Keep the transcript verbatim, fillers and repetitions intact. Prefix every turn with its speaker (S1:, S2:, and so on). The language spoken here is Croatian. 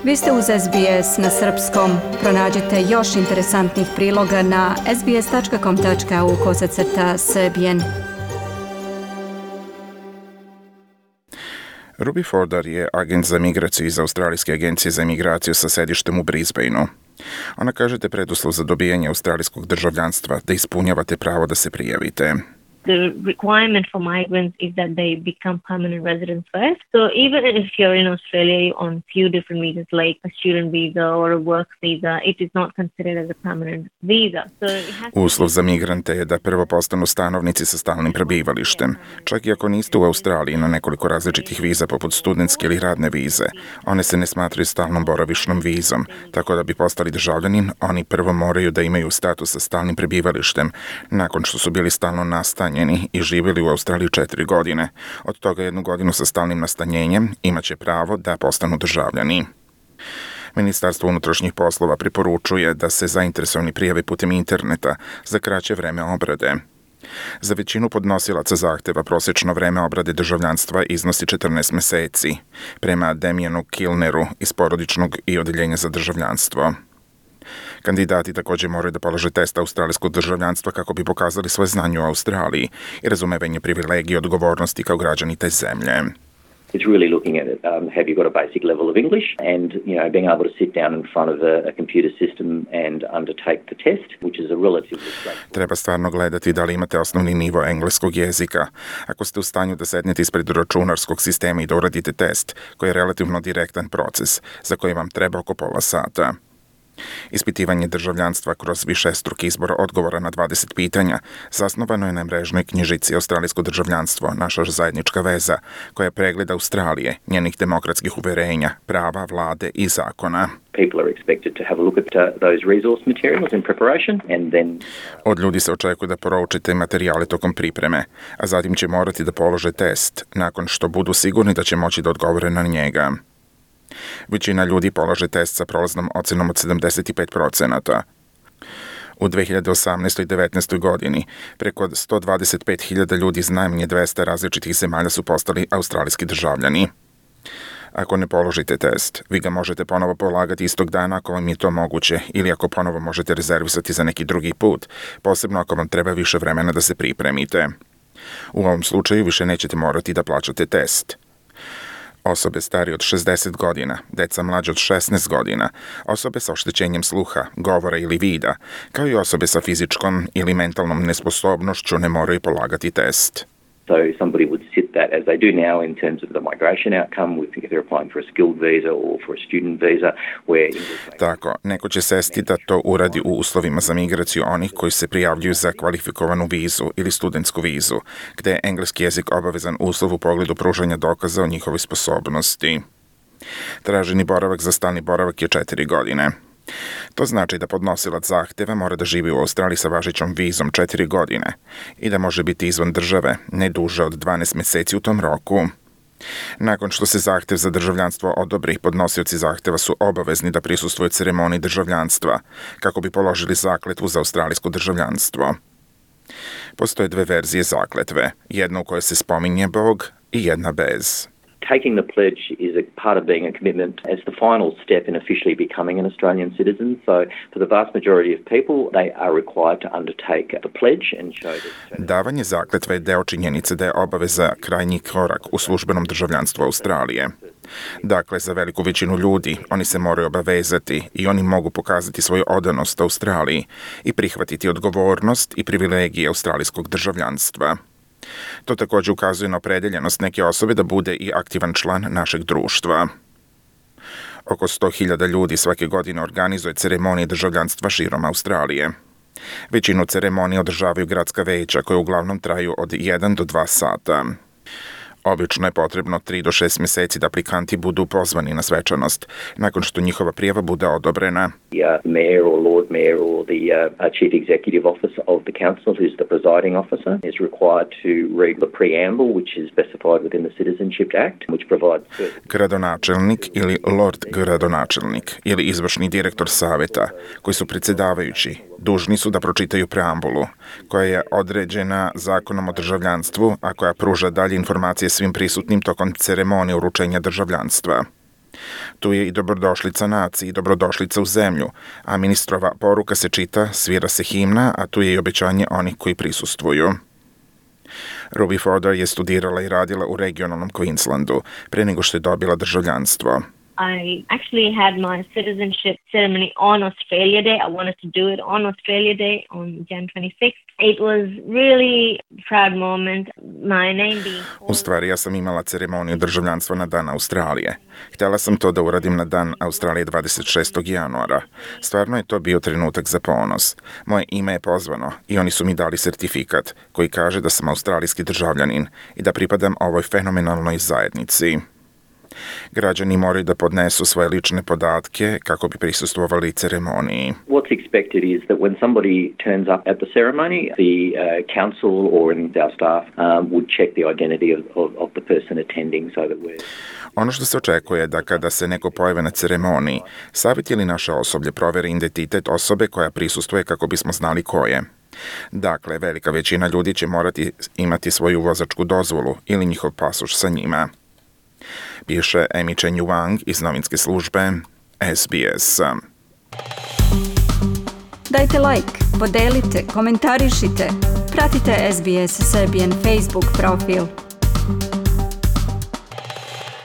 S1: Vi ste uz S B S na srpskom. Pronađite još interesantnih priloga na sbs.com.au kosacrta srbijen.
S2: Ruby Fodor je agent za migraciju iz Australijske agencije za migraciju sa sedištem u Brisbaneu. Ona kaže da je preduslov za dobijanje australijskog državljanstva da ispunjavate pravo da se prijavite.
S3: The requirement for migrants is that they become permanent residents first. So even if you're in Australia on few different visas like a student visa or a work visa, it is not considered as a permanent visa. So it has
S2: Uslov za migrante je da prvo postanu stanovnici sa stalnim prebivalištem. Čak i ako niste u Australiji na nekoliko različitih viza poput studentske ili radne vize, one se ne smatraju stalnom boravišnom vizom, tako da bi postali državljanin, oni prvo moraju da imaju status sa stalnim prebivalištem nakon što su bili stalno nastanjeni i živjeli u Australiji četiri godine. Od toga jednu godinu sa stalnim nastanjenjem imaće pravo da postanu državljani. Ministarstvo unutrašnjih poslova preporučuje da se zainteresovani prijave putem interneta za kraće vreme obrade. Za većinu podnosilaca zahteva prosječno vreme obrade državljanstva iznosi četrnaest meseci, prema Damienu Kilneru iz porodičnog i odeljenja za državljanstvo. Kandidati također moraju da polože test australijskog državljanstva kako bi pokazali svoje znanje u Australiji i razumevanje privilegije i odgovornosti kao građani te zemlje.
S4: It's really looking at it. Um, have you got a basic level of English and, you know, being able to sit down in front of a, a computer system and undertake the test, which is a relatively straightforward.
S2: Treba stvarno gledati da li imate osnovni nivo engleskog jezika. Ako ste u stanju da sednete ispred računarskog sistema i da uradite test, koji je relativno direktan proces, za koji vam treba oko pola sata. Ispitivanje državljanstva kroz višestruki izbor odgovora na dvadeset pitanja zasnovano je na mrežnoj knjižici Australijsko državljanstvo, naša zajednička veza, koja je pregled Australije, njenih demokratskih uverenja, prava, vlade i zakona.
S4: People are expected to have a look at uh, those resource materials in preparation and then
S2: Od ljudi se očekuje da proučite materijale tokom pripreme, a zatim će morati da polože test, nakon što budu sigurni da će moći da odgovore na njega. Većina ljudi polaže test sa prolaznom ocenom od sedamdeset pet procenata. U dve hiljade osamnaestoj i devetnaestoj godini preko sto dvadeset pet hiljada ljudi iz najmanje dvesta različitih zemalja su postali australijski državljani. Ako ne položite test, vi ga možete ponovo polagati istog dana ako vam je to moguće ili ako ponovo možete rezervisati za neki drugi put, posebno ako vam treba više vremena da se pripremite. U ovom slučaju više nećete morati da plaćate test. Osobe starije od šezdeset godina, deca mlađe od šesnaest godina, osobe sa oštećenjem sluha, govora ili vida, kao i osobe sa fizičkom ili mentalnom nesposobnošću ne moraju polagati test.
S4: so somebody would sit that as they do now in terms of the migration outcome with if they're applying for a skilled visa or for a student visa where English...
S2: Tako, neko će sesti da to uradi u uslovima za migraciju onih koji se prijavljuju za kvalifikovanu vizu ili studentsku vizu, gde je engleski jezik obavezan uslov u pogledu pružanja dokaza o njihovoj sposobnosti. Traženi boravak za stalni boravak je četiri godine. To znači da podnosilac zahteva mora da živi u Australiji sa važećom vizom četiri godine i da može biti izvan države ne duže od dvanaest meseci u tom roku. Nakon što se zahtev za državljanstvo odobri, podnosioci zahteva su obavezni da prisustvuju ceremoniji državljanstva kako bi položili zakletvu za australijsko državljanstvo. Postoje dve verzije zakletve, jedna u kojoj se spominje Bog i jedna bez.
S4: Taking the pledge is a part of being a commitment as the final step in officially becoming an Australian citizen. So for the vast majority of people, they are required to undertake the pledge and show that...
S2: Davanje zakletve je deo činjenice da je obaveza krajnji korak u službenom državljanstvu Australije. Dakle, za veliku većinu ljudi oni se moraju obavezati i oni mogu pokazati svoju odanost Australiji i prihvatiti odgovornost i privilegije australijskog državljanstva. To također ukazuje na opredeljenost neke osobe da bude i aktivan član našeg društva. Oko sto hiljada ljudi svake godine organizuje ceremonije državljanstva širom Australije. Većinu ceremonije održavaju gradska veća koje uglavnom traju od jedan do dva sata. Obično je potrebno tri do šest meseci da aplikanti budu pozvani na svečanost, nakon što njihova prijava bude odobrena.
S4: The uh, mayor or lord mayor or the uh, chief executive officer of the council, who's the presiding officer, is required to read the preamble, which is specified within the Citizenship Act, which provides...
S2: Gradonačelnik ili lord gradonačelnik ili izvršni direktor saveta, koji su predsjedavajući, dužni su da pročitaju preambulu, koja je određena zakonom o državljanstvu, a koja pruža dalje informacije svim prisutnim tokom ceremonije uručenja državljanstva. Tu je i dobrodošlica naciji i dobrodošlica u zemlju, a ministrova poruka se čita, svira se himna, a tu je i obećanje onih koji prisustvuju. Ruby Fodor je studirala i radila u regionalnom Queenslandu pre nego što je dobila državljanstvo.
S3: I actually had my citizenship ceremony on Australia Day. I wanted to do it on Australia Day on January twenty-sixth. It was really a proud moment. My name being
S2: U stvari, ja sam imala ceremoniju državljanstva na dan Australije. Htjela sam to da uradim na dan Australije dvadeset šestog januara. Stvarno je to bio trenutak za ponos. Moje ime je pozvano i oni su mi dali sertifikat koji kaže da sam australijski državljanin i da pripadam ovoj fenomenalnoj zajednici. Građani moraju da podnesu svoje lične podatke kako bi prisustvovali ceremoniji.
S4: What's expected is that when somebody turns up at the ceremony, the uh, council or in our staff um, would check the identity of, of, of the person attending so that we're...
S2: Ono što se očekuje je da kada se neko pojave na ceremoniji, savjet ili naše osoblje proveri identitet osobe koja prisustvuje kako bismo znali ko je. Dakle, velika većina ljudi će morati imati svoju vozačku dozvolu ili njihov pasoš sa njima. Piše Amy Chen Wang iz novinske službe S B S.
S1: Dajte like, podelite, komentarišite, pratite S B S Serbian Facebook profil.